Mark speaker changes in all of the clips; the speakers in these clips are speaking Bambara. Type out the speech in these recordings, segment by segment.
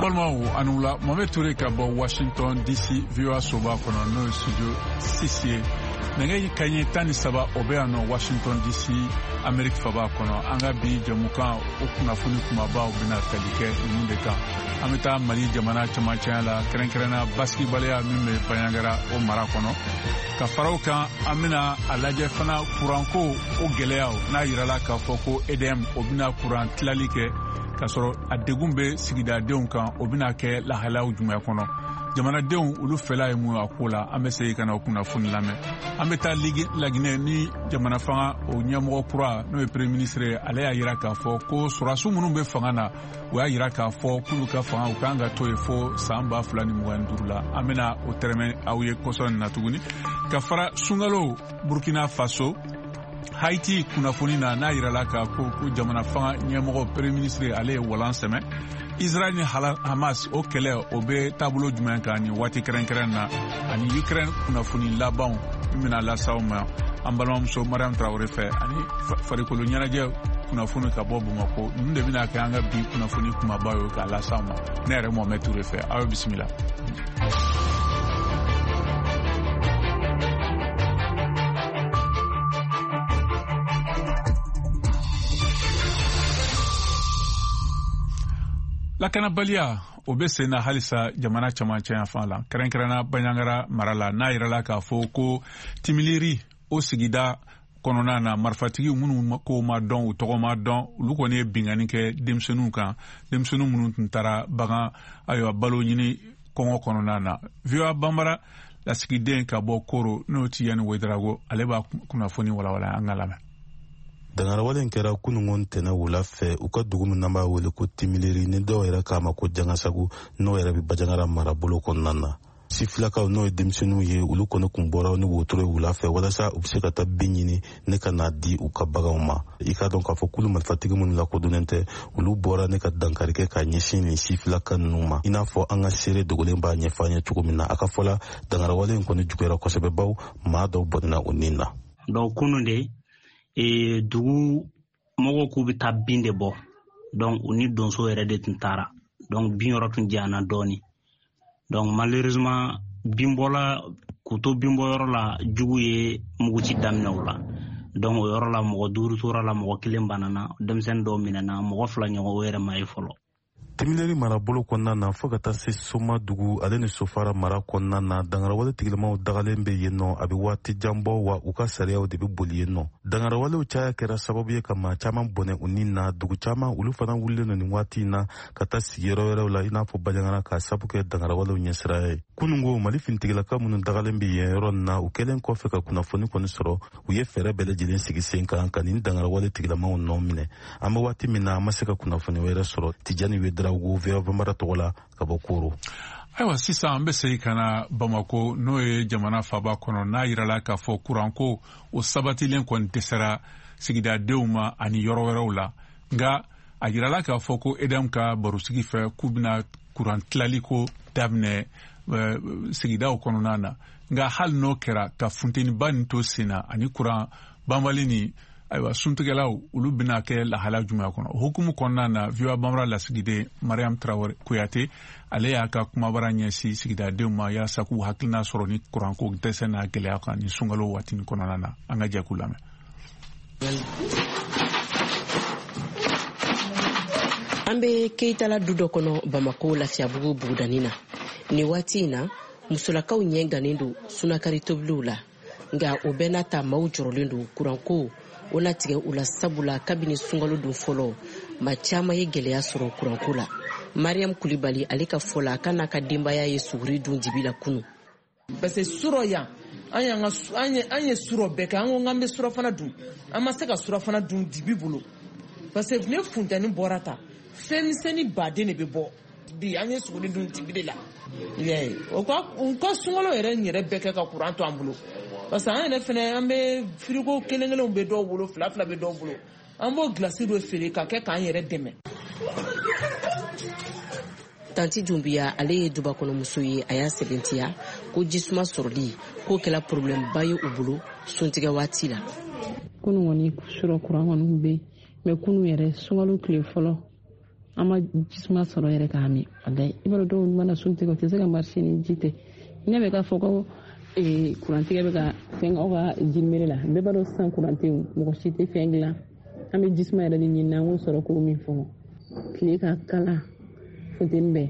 Speaker 1: Balimaw, a ni wula. Mohamed Toure ka bɔ Washington DC, VOA soba kɔnɔ, n'o ye studio 6 ye. Nɛgɛ kaɲɛ 13, o bɛ yan nɔ Washington DC, Amerique faba kɔnɔ. An ka bi jɛmukan, o kunnafoni kumabaw bɛna tali kɛ ninnu de kan. An bɛ taa Mali jamana camancɛya la, kɛrɛnkɛrɛnna basigibaliya min bɛ Banjagara, o mara kɔnɔ. Ka fara o kan, an bɛna a lajɛ fana kuranko o gɛlɛyaw, n'a yirala k'a fɔ ko EDM, o bɛna kuran tilali kɛ k'a sɔrɔ a degun bɛ sigidadenw kan, o bɛna kɛ lahalayaw jumɛn kɔnɔ? Jamanadenw, olu fɛla ye mun ye a ko la? An bɛ segin ka na o kunnafoni lamɛn. An bɛ taa Laginɛ ni jamana fanga o ɲɛmɔgɔ kura, n'o ye premier ministre ye, ale y'a yira k'a fɔ ko sɔrɔdasiw minnu bɛ fanga na, u y'a yira k'a fɔ k'olu ka fanga, u kan ka to yen fo san 2025 la. An bɛna o tɛrɛmɛ aw ye kɔsɔ nin na tuguni. Ka fara sunkalo, Burkina Faso, Haiti kunnafoni na, n'a yirala k'a ko ko jamana fanga ɲɛmɔgɔ premier ministre, ale ye walan sɛmɛ. Israel ni Hamas, o kɛlɛ, o bɛ taabolo jumɛn kan nin waati kɛrɛnkɛrɛn na? Ani Ukraine kunnafoni labanw min bɛna lase aw ma an balimamuso Mariam Traoré fɛ, ani farikolo ɲɛnajɛ kunnafoni ka bɔ Bamakɔ. Ninnu de bɛna kɛ an ka bi kunnafoni kumaba ye k'a lase aw ma ne yɛrɛ Mohamed Touré fɛ. Aw ye bisimila. Lakanabaliya, o bɛ sen na halisa jamana camancɛ yanfan la, kɛrɛnkɛrɛnna Banjagara mara la, n'a yirala k'a fɔ ko Timiliri, o sigida kɔnɔna na, marifatigi minnu ko ma dɔn, u tɔgɔ ma dɔn, olu kɔni ye binkanni kɛ denmisɛnninw kan, denmisɛnnin minnu tun taara bagan, ayiwa, balo ɲini kɔngɔ kɔnɔna na. VOA Banbara lasigiden ka bɔ Koro, n'o Tijani Wedarago, ale b'a kunnafoni walawala. An ka lamɛn.
Speaker 2: Dangarawale in kɛra kunungo ntɛnɛ wula fɛ u ka dugu min n'an b'a wele ko Timileri, ni dɔw yɛrɛ k'a ma ko Jangasagu, n'o yɛrɛ bɛ Bajangara marabolo kɔnɔna na. Sifilakaw, n'o ye denmisɛnninw ye, olu kɔni kun bɔra ni wotoro ye wula fɛ walasa u bɛ se ka taa bin ɲini ne ka n'a di u ka baganw ma. I k'a dɔn k'a fɔ kulu marifatigi minnu lakodɔnnen tɛ, olu bɔra ne ka dankari kɛ ka ɲɛsin nin sifilaka ninnu ma, i n'a fɔ an ka seere dogolen b'a ɲɛfɔ an ye cogo min na. A ka fɔ la, dangarawale in kɔni juguyara kosɛbɛ, baw maa dɔw bɔnɛna u nin na.
Speaker 3: Donc kunun de dugu mɔgɔw k'u bɛ taa bin de bɔ. Donc u ni donso yɛrɛ de tun taara. Donc bin yɔrɔ tun janyana dɔɔni. Donc malheureusement, binbɔla k'u to binbɔyɔrɔ la, jugu ye muguci daminɛ u la. Donc o yɔrɔ la, mɔgɔ duuru tora la, mɔgɔ kelen banana, denmisɛnnin dɔw minɛna, mɔgɔ fila ɲɔgɔn, o yɛrɛ ma ye fɔlɔ.
Speaker 2: Timileri marabolo kɔnɔna na, fɔɔ ka taa se Soma dugu ale ni Sofara mara kɔnɔna na, dangarawale tigilamaw dagalen bɛ yen nɔ a bɛ waati jan bɔ, wa u ka sariyaw de bɛ boli yen nɔ. Dangarawalew caya kɛra sababu ye ka maa caman bɔnɛ u ni na. Dugu caman, olu fana wulilen don nin waati in na ka taa sigiyɔrɔ wɛrɛw la, i n'a fɔ Bajangara, k'a sabu kɛ dangarawalew ɲɛsiraya ye. Kunungo, Mali finitigilaka minnu dagalen bɛ yen yɔrɔ nin na, u kɛlen kɔfɛ ka kunnafoni kɔni sɔrɔ, u ye fɛɛrɛ bɛɛ lajɛlen sigi sen kan ka nin dangarawale tigilamaw nɔ minɛ. An bɛ waati min na, an ma se ka kunnafoni wɛrɛ sɔrɔ. Tijani Wedarawogo, VOA Banbara tɔgɔ la ka bɔ Koro.
Speaker 1: Ayiwa, sisan an bɛ segin ka na Bamako, n'o ye jamana faba kɔnɔ, n'a yirala k'a fɔ kuranko, o sabatilen kɔni dɛsɛra sigidadenw ma ani yɔrɔ wɛrɛw la. Nka a yirala k'a fɔ ko EDM ka barosigi fɛ, k'u bɛna kuran tilali ko daminɛ sigidaw kɔnɔna na. Nka hali n'o kɛra, ka funteniba nin to sen na ani kuran banbali nin, ayiwa, suntigɛlaw, olu bɛna kɛ lahala jumɛn kɔnɔ? O hukumu kɔnɔna na, VOA Banbara lasigiden Mariam Traore Kuyate, ale y'a ka kumabara ɲɛsin sigidadenw ma yaasa k'u hakilina sɔrɔ ni kuranko dɛsɛ n'a gɛlɛya kan ni sunkalo waati nin kɔnɔna na. An ka jɛ k'u lamɛn.
Speaker 4: An bɛ Keyitala du dɔ kɔnɔ Bamako Lafiyabugu bugudani na nin waati in na. Musolakaw ɲɛ gannen don sunakari tobiliw la. Nka o bɛɛ n'a ta, maaw jɔrɔlen don kuranko o na tigɛ u la, sabula kabini sunkalo don fɔlɔ, maa caman ye gɛlɛya sɔrɔ kuranko la. Mariam Kulibali, ale ka fɔ la, k'a n'a ka denbaya ye suguri dun dibi la kunu.
Speaker 5: Parce que surɔ yan, an y'an ka an ye surɔ bɛɛ kɛ. An ko k'an bɛ surɔfana dun, an ma se ka surɔfana dun dibi bolo, parce que ne funtɛni bɔra ta, fɛn misɛnnin baden de bɛ bɔ. Bi an ye suguri dun dibi de la. O ka u ka sunkalo yɛrɛ yɛrɛ bɛɛ kɛ ka kuran to an bolo, parce que an yɛrɛ fɛnɛ, an bɛ firigo kelen kelenw bɛ dɔw bolo, fila fila bɛ dɔw bolo, an b'o gilasi dɔ feere ka kɛ k'an yɛrɛ dɛmɛ.
Speaker 4: Tanti Dunbiya, ale ye dubakɔnɔmuso ye. A y'a sɛbɛntiya ko jisuma sɔrɔli k'o kɛla problème ba ye u bolo suntigɛ waati la.
Speaker 6: Kunu kɔni, surɔ kuran kɔni kun bɛ yen, mais kunu yɛrɛ, sunkalo tile fɔlɔ. An ma jisuma sɔrɔ yɛrɛ k'a min. Walayi, i b'a dɔn dɔw mana sun tigɛ, u tɛ se ka marcher ni ji tɛ. Ne bɛ k'a fɔ ko kurantigɛ bɛ ka fɛn aw ka jirimere la, bɛɛ b'a dɔn sisan kuran tɛ yen, mɔgɔ si tɛ fɛn dilan. An bɛ jisuma yɛrɛ de ɲini an k'o sɔrɔ k'o min fɔlɔ. Tile ka kala, funteni bɛ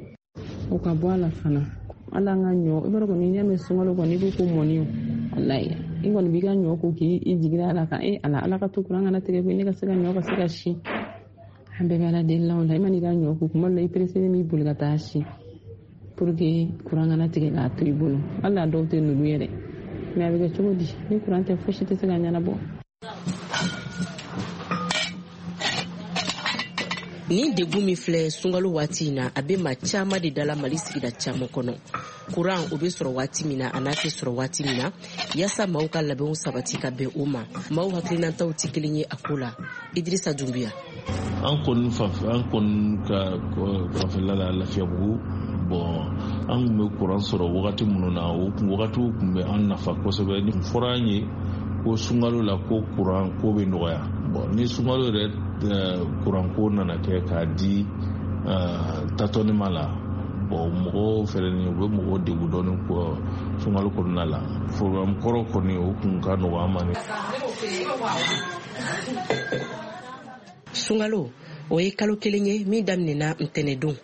Speaker 6: o ka bɔ a la fana. Hali an ka ɲɔ, i b'a dɔn kɔni, n'i y'a mɛn sunkalo kɔni, i ko ko mɔni. Walayi, i kɔni b'i ka ɲɔ ko k'i jigi da ala kan. E ala, ala ka to kuran kana tigɛ koyi, ne ka se ka ɲɔ ka se ka si. An bɛɛ bɛ ala deli la o la. I man'i ka ɲɔ ko, kuma dɔ la i pereselen b'i boli ka taa si pour que kuran kana tigɛ k'a to i bolo. Hali a dɔw tɛ nugu yɛrɛ, mais a bɛ kɛ cogo di ni kuran tɛ? Fosi tɛ se ka ɲɛnabɔ.
Speaker 4: Nin degun min filɛ sunkalo waati in na, a bɛ maa caman de dala Mali sigida caman kɔnɔ. Kuran o bɛ sɔrɔ waati min na, a n'a tɛ sɔrɔ waati min na, yaasa maaw ka labɛnw sabati ka bɛn o ma. Maaw hakilinataw tɛ kelen ye a ko la. Idirisa Dunbiya.
Speaker 7: An kɔni an kɔni ka fanfɛla la, Lafiyabugu, bon, an tun bɛ kuran sɔrɔ wagati minnu na, o wagatiw tun bɛ an nafa kosɛbɛ. Ni fɔra an ye ko sunkalo la ko kuran ko bɛ nɔgɔya, bon, ni sunkalo yɛrɛ kuran ko nana kɛ k'a di tâtonnement la, bon, mɔgɔw fɛnɛ ni u bɛ mɔgɔw degun dɔɔni sunkalo kɔnɔna la. Programme kɔrɔ kɔni, o kun ka nɔgɔn an ma. Ni
Speaker 4: Sunkalo o ye kalo kelen ye min daminɛna ntɛnɛdon.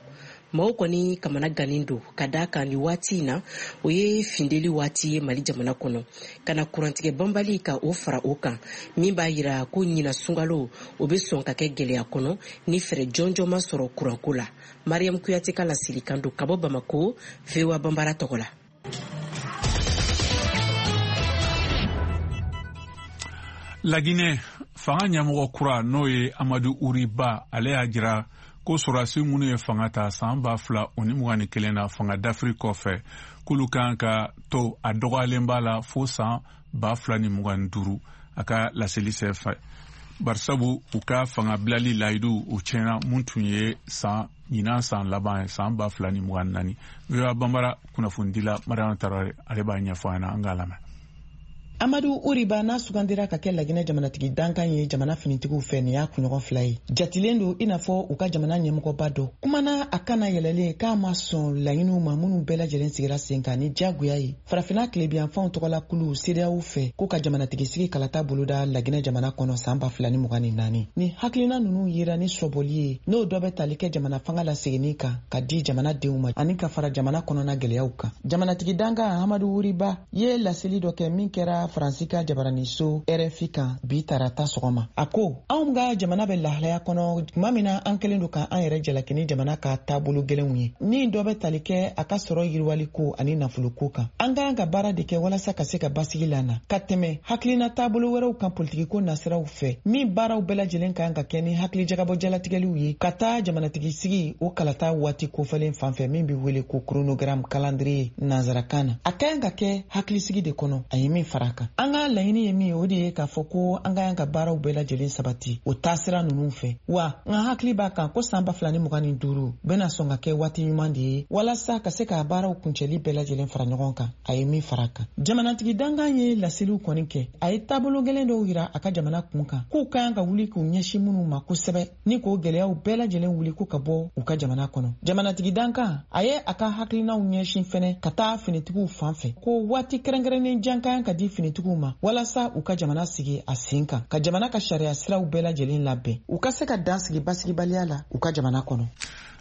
Speaker 4: Maaw kɔni kamana gannen don ka da kan ni waati in na, o ye findeli waati ye Mali jamana kɔnɔ, ka na kurantigɛ banbali ka o fara o kan, min b'a yira ko ɲina sunkalo o bɛ sɔn ka kɛ gɛlɛya kɔnɔ ni fɛɛrɛ jɔnjɔn ma sɔrɔ kuranko la. Mariam Kuyate ka laselikan don ka bɔ Bamako, VOA Banbara tɔgɔ la.
Speaker 1: Laginɛ fanga ɲɛmɔgɔ kura, n'o ye Amadu Uriba, ale y'a jira ko sɔrɔdasi minnu ye fanga ta san 2021 na fanga dafiri kɔfɛ, k'olu kan ka to a dɔgɔyalen b'a la fo san 2025, a ka laseli senfɛ, barisabu u ka fanga bilali layidu o tiɲɛna, mun tun ye san ɲinan san laban ye, san 2024. VOA Banbara kunnafonidila Mariam Tarawele, ale b'a ɲɛfɔ an ɲɛna, an k'a lamɛn.
Speaker 8: Amadu Uriba n'a sugandira ka kɛ Laginɛ jamanatigi dankan ye jamana finitigiw fɛ, nin y'a kunɲɔgɔn fila ye. Jatilen don i n'a fɔ u ka jamana ɲɛmɔgɔba dɔ kumana a kana yɛlɛlen k'a ma sɔn laɲiniw ma minnu bɛɛ lajɛlen sigira sen kan ni diyagoya ye Farafinna tilebiyanfanw tɔgɔla kulu CEDEAO fɛ, k'u ka jamanatigi sigi kalata boloda Laginɛ jamana kɔnɔ san 2024. Ni hakilina ninnu yera ni sɔbɔli ye, n'o dɔ bɛ tali kɛ jamana fanga laseginni kan ka di jamanadenw ma ani ka fara jamana kɔnɔna gɛlɛyaw kan. Jamanatigi dankan Amadu Wuriba ye laseli dɔ kɛ min kɛra Faransi ka jabaraniso RFI kan bi tarata sɔgɔma. A ko anw ka jamana bɛ lahalaya kɔnɔ tuma min na an kɛlen don ka an yɛrɛ jalaki ni jamana ka taabolo gɛlɛnw ye, ni dɔ bɛ tali kɛ a ka sɔrɔ yiriwali ko ani nafoloko kan. An ka kan ka baara de kɛ walasa ka se ka basigi lana ka tɛmɛ hakilina taabolo wɛrɛw kan politikiko nasiraw fɛ, min baaraw bɛɛ lajɛlen kan ka kɛ ni hakilijagabɔ jalatigɛliw ye ka taa jamanatigi sigi o kalata waati kofɔlen fan fɛ, min bɛ wele ko chronogramme, calendrier nanzarakan na. A ka kan ka kɛ hakilisigi de kɔnɔ. A ye min fara a kan, an ka laɲini ye min ye, o de ye k'a fɔ ko an ka kan ka baaraw bɛɛ lajɛlen sabati o taasira ninnu fɛ. Wa n ka hakili b'a kan ko san 2025 bɛna sɔn ka kɛ waati ɲuman de ye walasa ka se ka baaraw kuncɛli bɛɛ lajɛlen fara ɲɔgɔn kan. A ye min fara a kan, jamanatigi dankan ye laseliw kɔni kɛ. A ye taabolo gɛlɛn dɔw yira a ka jamana kun kan, k'u ka kan ka wuli k'u ɲɛsin minnu ma kosɛbɛ ni k'o gɛlɛyaw bɛɛ lajɛlen wuli ko ka bɔ u ka jamana kɔnɔ. Jamanatigi dankan a ye a ka hakilinaw ɲɛsin fɛnɛ ka taa finitigiw fan fɛ, ko waati kɛrɛnkɛrɛnnen jan ka kan ka di finitigiw ma walasa u ka jamana sigi a sen kan, ka jamana ka sariya siraw bɛɛ lajɛlen labɛn, u ka se ka dan sigi basigibaliya la u ka jamana kɔnɔ.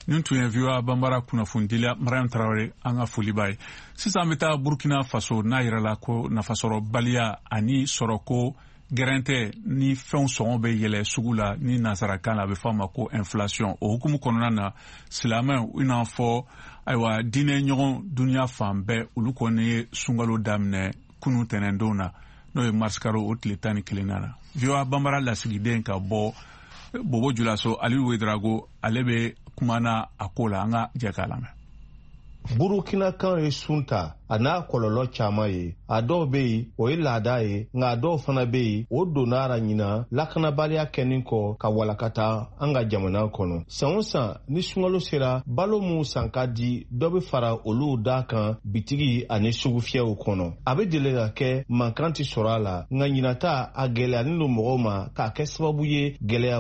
Speaker 1: Nin tun ye VOA Banbara kunnafonidila Mariam Tarawele, an ka foli b'a ye. Sisan an bɛ taa Burkina Faso, n'a yirala ko nafasɔrɔbaliya ani sɔrɔko gɛrɛntɛ ni fɛnw sɔngɔ bɛ yɛlɛ sugu la, ni nansarakan la a bɛ fɔ a ma ko inflation. O hukumu kɔnɔna na, silamɛw, i n'a fɔ ayiwa diinɛ ɲɔgɔn duniya fan bɛɛ, olu kɔni ye sunkalo daminɛ kunu tɛnɛndon na, n'o ye marisikalo o tile 11 na. VOA Banbara lasigiden ka bɔ Bobo Julaso, Aliyu Wedrago, ale bɛ kumana a ko la, an ka jɛ k'a lamɛn.
Speaker 9: Burukinakan ye sun ta, a n'a kɔlɔlɔ caman ye. A dɔw bɛ yen, o ye laada ye, nka a dɔw fana bɛ yen, o donna a ɲina lakanabaliya kɛnin kɔ ka walakata an ka jamana kɔnɔ. San o san ni sunkalo sera, balo minw san ka di, dɔ bɛ fara olu da kan bitigi ani sugufiyɛw kɔnɔ. A bɛ deli ka kɛ mankan tɛ sɔrɔ a la, nka ɲinata a gɛlɛyalen don mɔgɔw ma k'a kɛ sababu ye gɛlɛya.